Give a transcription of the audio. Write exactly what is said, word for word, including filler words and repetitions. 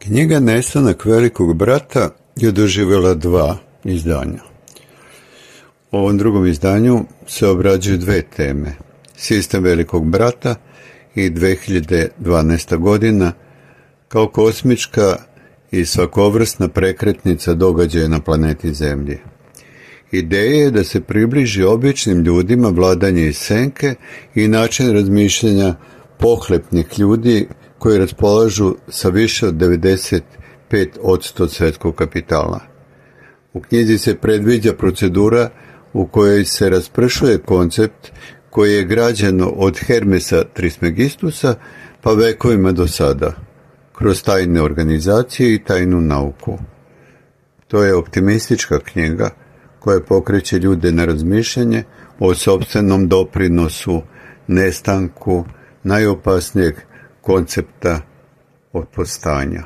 Knjiga Nestanak velikog brata je doživjela dva izdanja. U ovom drugom izdanju se obrađuju dve teme. Sistem velikog brata i dve hiljade dvanaesta godina kao kosmička i svakovrsna prekretnica događaja na planeti Zemlji. Ideja je da se približi običnim ljudima vladanje iz senke i način razmišljanja pohlepnih ljudi koji raspolažu sa više od devedeset pet posto svetskog kapitala. U knjizi se predviđa procedura u kojoj se raspršuje koncept koji je građen od Hermesa Trismegistusa pa vekovima do sada, kroz tajne organizacije i tajnu nauku. To je optimistička knjiga koja pokreće ljude na razmišljanje o sopstvenom doprinosu, nestanku najopasnijeg koncepta od postanja.